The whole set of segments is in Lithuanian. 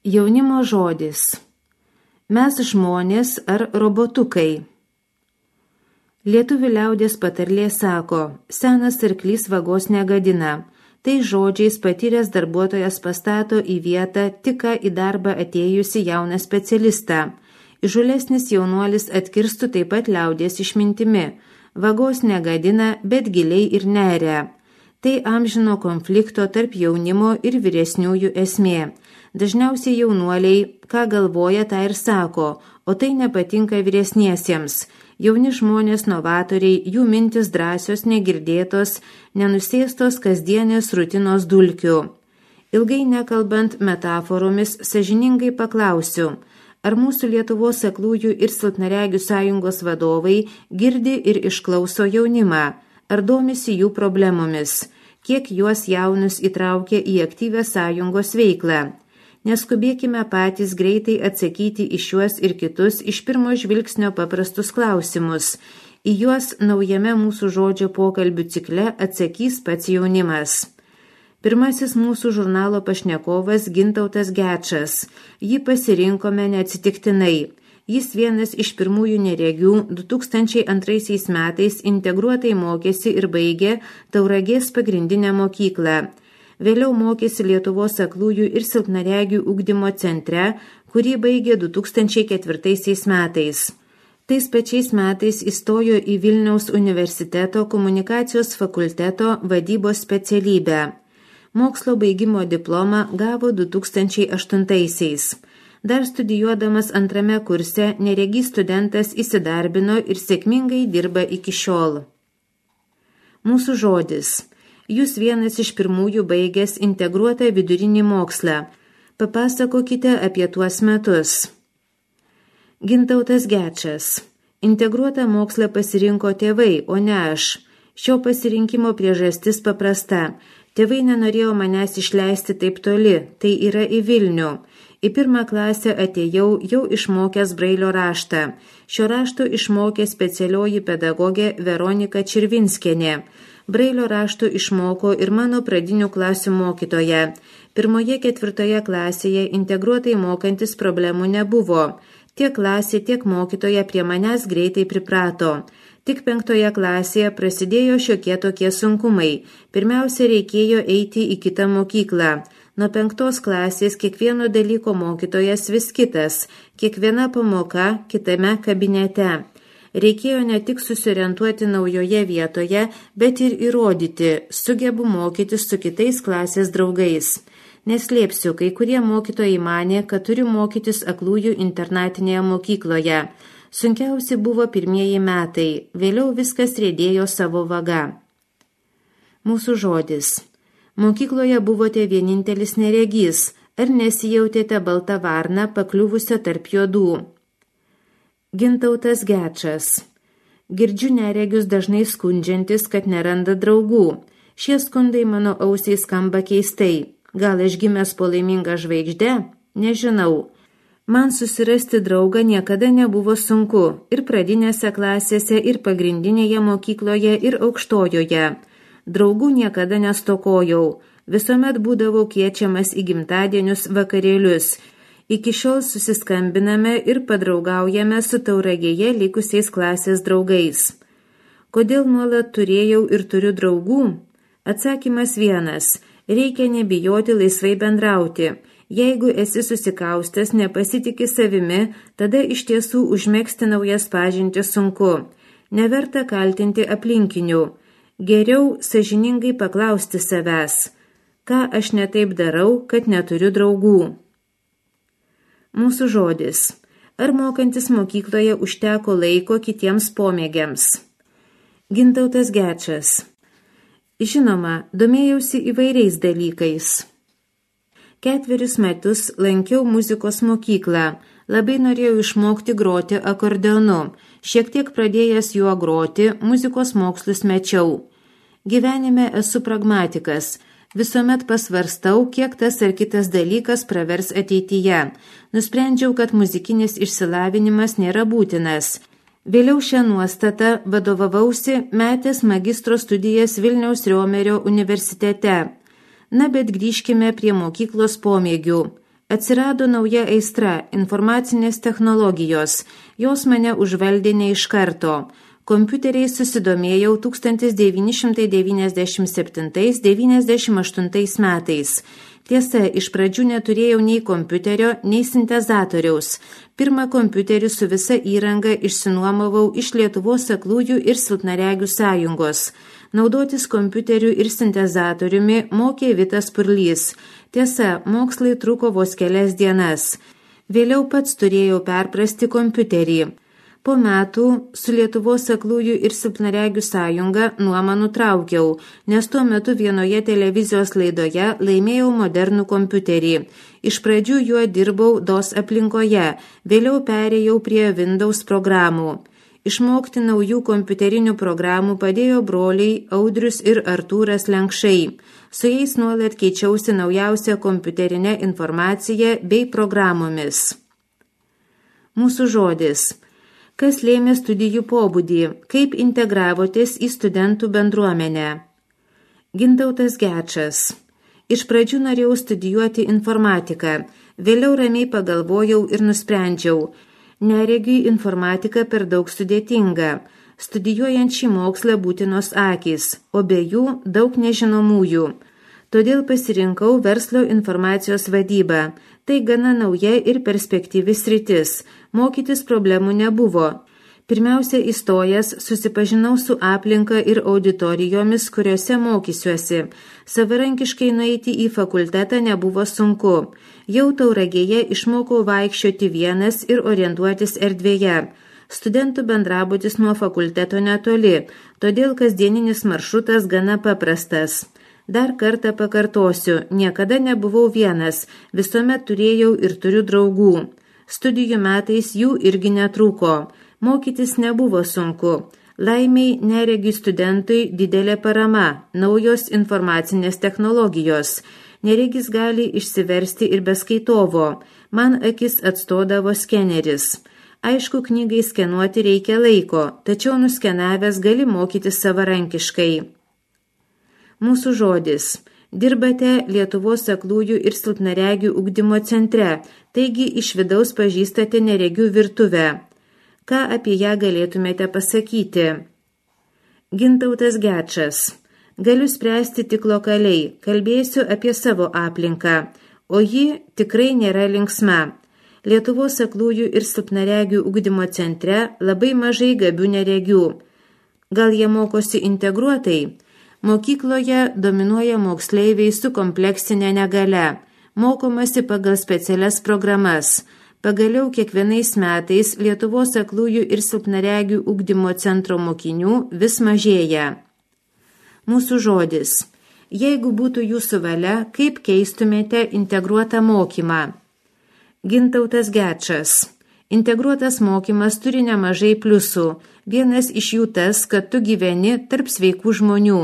Jaunimo žodis. Mes žmonės ar robotukai? Lietuvių liaudies patarlė sako, senas arklys vagos negadina. Tai žodžiais patyręs darbuotojas pastato į vietą tik ką į darbą atėjusi jauną specialistą. Įžūlesnis jaunuolis atkirstų taip pat liaudies išmintimi. Vagos negadina, bet giliai ir neria. Tai amžino konflikto tarp jaunimo ir vyresniųjų esmė. Dažniausiai jaunuoliai, ką galvoja, tą ir sako, o tai nepatinka vyresniesiems. Jauni žmonės novatoriai, jų mintis drąsios, negirdėtos, nenusėstos kasdienės rutinos dulkių. Ilgai nekalbant metaforomis, sąžiningai paklausiu, ar mūsų Lietuvos aklųjų ir silpnaregių sąjungos vadovai girdi ir išklauso jaunimą, ar domisi jų problemomis, kiek juos jaunus įtraukia į aktyvią sąjungos veiklą. Neskubėkime patys greitai atsakyti į šiuos ir kitus iš pirmo žvilgsnio paprastus klausimus. Į juos naujame mūsų žodžio pokalbių cikle atsakys pats jaunimas. Pirmasis mūsų žurnalo pašnekovas Gintautas Gečas. Jį pasirinkome neatsitiktinai. Jis vienas iš pirmųjų neregių 2002 metais integruotai mokėsi ir baigė Tauragės pagrindinę mokyklą. Vėliau mokėsi Lietuvos aklųjų ir silpnaregių ugdymo centre, kurį baigė 2004 metais. Tais pačiais metais įstojo į Vilniaus universiteto komunikacijos fakulteto vadybos specialybę. Mokslo baigimo diplomą gavo 2008-aisiais. Dar studijuodamas antrame kurse neregys studentas įsidarbino ir sėkmingai dirba iki šiol. Mūsų žodis. Jūs vienas iš pirmųjų baigęs integruotą vidurinį mokslą. Papasakokite apie tuos metus. Gintautas Gečas. Integruotą mokslą pasirinko tėvai, o ne aš. Šio pasirinkimo priežastis paprasta. Tėvai nenorėjo manęs išleisti taip toli, tai yra į Vilnių. Į pirmą klasę atėjau jau išmokęs Brailio raštą. Šio rašto išmokė specialioji pedagogė Veronika Čirvinskienė. Brailio rašto išmoko ir mano pradinių klasių mokytoja. 1-4 klasėje integruotai mokantis problemų nebuvo. Tiek klasė, tiek mokytoja prie manęs greitai priprato. Tik 5 klasėje prasidėjo šiokie tokie sunkumai. Pirmiausia, reikėjo eiti į kitą mokyklą. Nuo 5 klasės kiekvieno dalyko mokytojas vis kitas, kiekviena pamoka kitame kabinete. Reikėjo ne tik susiorientuoti naujoje vietoje, bet ir įrodyti, sugebu mokytis su kitais klasės draugais. Neslėpsiu, kai kurie mokytojai manė, kad turiu mokytis aklųjų internatinėje mokykloje. Sunkiausi buvo pirmieji metai, vėliau viskas riedėjo savo vaga. Mūsų žodis. Mokykloje buvote vienintelis neregys, ar nesijautėte balta varna pakliuvusią tarp juodų? Gintautas Gečas. Girdžiu neregius dažnai skundžiantis, kad neranda draugų. Šie skundai mano ausiai skamba keistai. Gal aš gimęs po laimingą žvaigždę? Nežinau. Man susirasti draugą niekada nebuvo sunku. Ir pradinėse klasėse, ir pagrindinėje mokykloje, ir aukštojoje. Draugų niekada nestokojau. Visuomet būdavau kviečiamas į gimtadienius vakarėlius. Iki šiol susiskambiname ir padraugaujame su Tauragėje likusiais klasės draugais. Kodėl nuolat turėjau ir turiu draugų? Atsakymas vienas. Reikia nebijoti laisvai bendrauti. Jeigu esi susikaustęs, nepasitiki savimi, tada iš tiesų užmegzti naujas pažintis sunku. Neverta kaltinti aplinkinių. Geriau sąžiningai paklausti savęs. Ką aš netaip darau, kad neturiu draugų? Mūsų žodis. Ar mokantis mokykloje užteko laiko kitiems pomėgiams? Gintautas Gečas. Žinoma, domėjausi įvairiais dalykais. 4 metus lankiau muzikos mokyklą. Labai norėjau išmokti groti akordeonu. Šiek tiek pradėjęs juo groti, muzikos mokslus mečiau. Gyvenime esu pragmatikas. Visuomet pasvarstau, kiek tas ar kitas dalykas pravers ateityje. Nusprendžiau, kad muzikinis išsilavinimas nėra būtinas. Vėliau šią nuostatą vadovavausi metęs magistro studijas Vilniaus Riomerio universitete. Na, bet grįžkime prie mokyklos pomėgių. Atsirado nauja aistra – informacinės technologijos. Jos mane užvaldė ne iš karto. Kompiuteriais susidomėjau 1997–98 metais. Tiesa, iš pradžių neturėjau nei kompiuterio, nei sintezatoriaus. Pirmą kompiuterį su visa įranga išsinuomavau iš Lietuvos aklųjų ir silpnaregių sąjungos. Naudotis kompiuteriu ir sintezatoriumi mokė Vitas Purlys. Tiesa, mokslai truko vos kelias dienas. Vėliau pats turėjau perprasti kompiuterį. Po metų su Lietuvos aklųjų ir silpnaregių sąjunga nuomą nutraukiau, nes tuo metu vienoje televizijos laidoje laimėjau modernų kompiuterį. Iš pradžių juo dirbau DOS aplinkoje, vėliau perėjau prie Windows programų. Išmokti naujų kompiuterinių programų padėjo broliai Audrius ir Artūras Lenkšai. Su jais nuolat keičiausi naujausią kompiuterinę informaciją bei programomis. Mūsų žodis. Kas lėmė studijų pobūdį, kaip integravotės į studentų bendruomenę. Gintautas Gečas. Iš pradžių norėjau studijuoti informatiką, vėliau ramiai pagalvojau ir nusprendžiau, neregiui informatika per daug sudėtinga. Studijuojant šį mokslą būtinos akys, o be jų daug nežinomųjų. Todėl pasirinkau verslo informacijos vadybą. Tai gana nauja ir perspektyvi sritis. Mokytis problemų nebuvo. Pirmiausia, įstojęs, susipažinau su aplinka ir auditorijomis, kuriuose mokysiuosi. Savarankiškai nueiti į fakultetą nebuvo sunku. Jau Tauragėje išmokau vaikščioti vienas ir orientuotis erdvėje. Studentų bendrabutis nuo fakulteto netoli, todėl kasdieninis maršrutas gana paprastas. Dar kartą pakartosiu, niekada nebuvau vienas, visuomet turėjau ir turiu draugų. Studijų metais jų irgi netrūko. Mokytis nebuvo sunku. Laimiai neregių studentui didelė parama, naujos informacinės technologijos. Neregis gali išsiversti ir be skaitovo. Man akis atstodavo skeneris. Aišku, knygai skenuoti reikia laiko, tačiau nuskenavęs gali mokytis savarankiškai. Mūsų žodis. Dirbate Lietuvos aklųjų ir silpnaregių ugdymo centre, taigi iš vidaus pažįstate neregių virtuvę. Ką apie ją galėtumėte pasakyti? Gintautas Gečas. Galiu spręsti tik lokaliai, kalbėsiu apie savo aplinką, o ji tikrai nėra linksma. Lietuvos aklųjų ir silpnaregių ugdymo centre labai mažai gabių neregių. Gal jie mokosi integruotai? Mokykloje dominuoja moksleiviai su kompleksinė negale. Mokomasi pagal specialias programas. Pagaliau kiekvienais metais Lietuvos aklųjų ir silpnaregių ugdymo centro mokinių vis mažėja. Mūsų žodis. Jeigu būtų jūsų valia, kaip keistumėte integruotą mokymą? Gintautas Gečas. Integruotas mokymas turi nemažai pliusų. Vienas iš jų tas, kad tu gyveni tarp sveikų žmonių.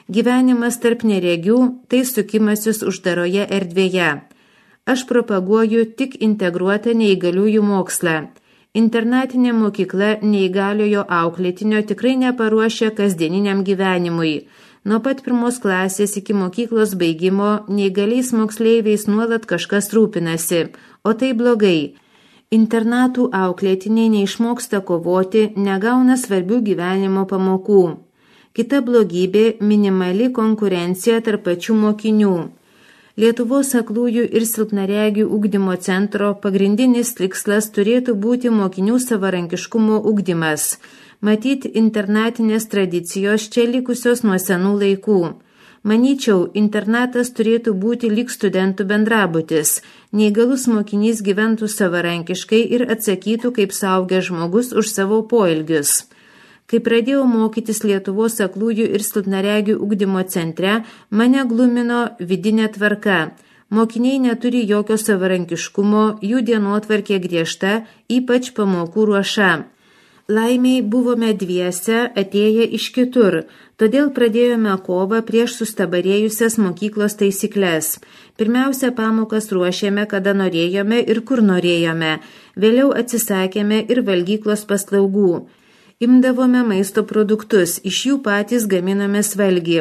Gyvenimas tarp neregių – tai sukimasis uždaroje erdvėje. Aš propaguoju tik integruotą neįgaliųjų mokslą. Internatinė mokykla neįgaliojo auklėtinio tikrai neparuošia kasdieniniam gyvenimui. Nuo pat 1 klasės iki mokyklos baigimo neįgaliais moksleiviais nuolat kažkas rūpinasi, o tai blogai. Internatų auklėtiniai neišmoksta kovoti, negauna svarbių gyvenimo pamokų. Kita blogybė – minimali konkurencija tarp pačių mokinių. Lietuvos aklųjų ir silpnaregių ugdymo centro pagrindinis tikslas turėtų būti mokinių savarankiškumo ugdymas. Matyt, internatinės tradicijos čia likusios nuo senų laikų. Manyčiau, internatas turėtų būti lyg studentų bendrabutis. Neįgalus mokinys gyventų savarankiškai ir atsakytų kaip suaugęs žmogus už savo poelgius. Kai pradėjau mokytis Lietuvos aklųjų ir silpnaregių ugdymo centre, mane glumino vidinė tvarka. Mokiniai neturi jokio savarankiškumo, jų dienotvarkė griežta, ypač pamokų ruoša. Laimiai buvome dviese atėję iš kitur, todėl pradėjome kovą prieš sustabarėjusias mokyklos taisyklės. Pirmiausia, pamokas ruošėme, kada norėjome ir kur norėjome. Vėliau atsisakėme ir valgyklos paslaugų. Imdavome maisto produktus, iš jų patys gaminome valgį.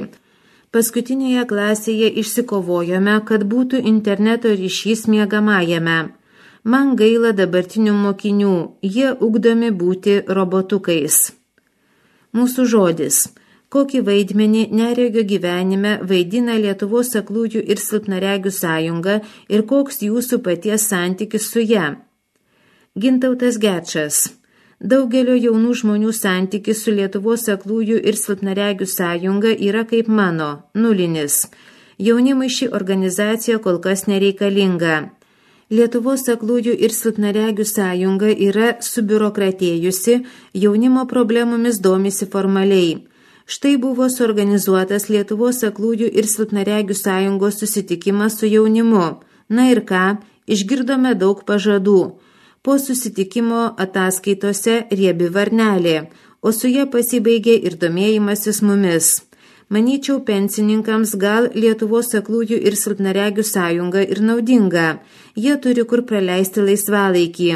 Paskutinėje klasėje išsikovojome, kad būtų interneto ryšys miegamajame. Man gaila dabartinių mokinių, jie ugdomi būti robotukais. Mūsų žodis. Kokį vaidmenį neregio gyvenime vaidina Lietuvos aklųjų ir silpnaregių sąjunga ir koks jūsų paties santykis su ja? Gintautas Gečas. Daugelio jaunų žmonių santykis su Lietuvos aklųjų ir silpnaregių sąjunga yra kaip mano, nulinis. Jaunimui ši organizacija kol kas nereikalinga. Lietuvos aklųjų ir silpnaregių sąjunga yra subiurokratėjusi, jaunimo problemomis domisi formaliai. Štai buvo suorganizuotas Lietuvos aklųjų ir silpnaregių sąjungos susitikimas su jaunimu. Na ir ką, išgirdome daug pažadų. Po susitikimo ataskaitose riebi varnelė, o su ja pasibaigė ir domėjimasis mumis. Manyčiau, pensininkams gal Lietuvos aklųjų ir silpnaregių sąjunga ir naudinga. Jie turi kur praleisti laisvalaikį.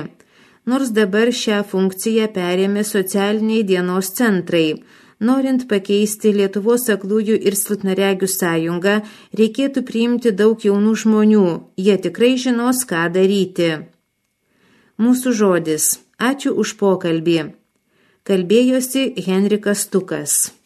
Nors dabar šią funkciją perėmė socialiniai dienos centrai. Norint pakeisti Lietuvos aklųjų ir silpnaregių sąjungą, reikėtų priimti daug jaunų žmonių. Jie tikrai žinos, ką daryti. Mūsų žodis. Ačiū už pokalbį. Kalbėjosi Henrikas Stukas.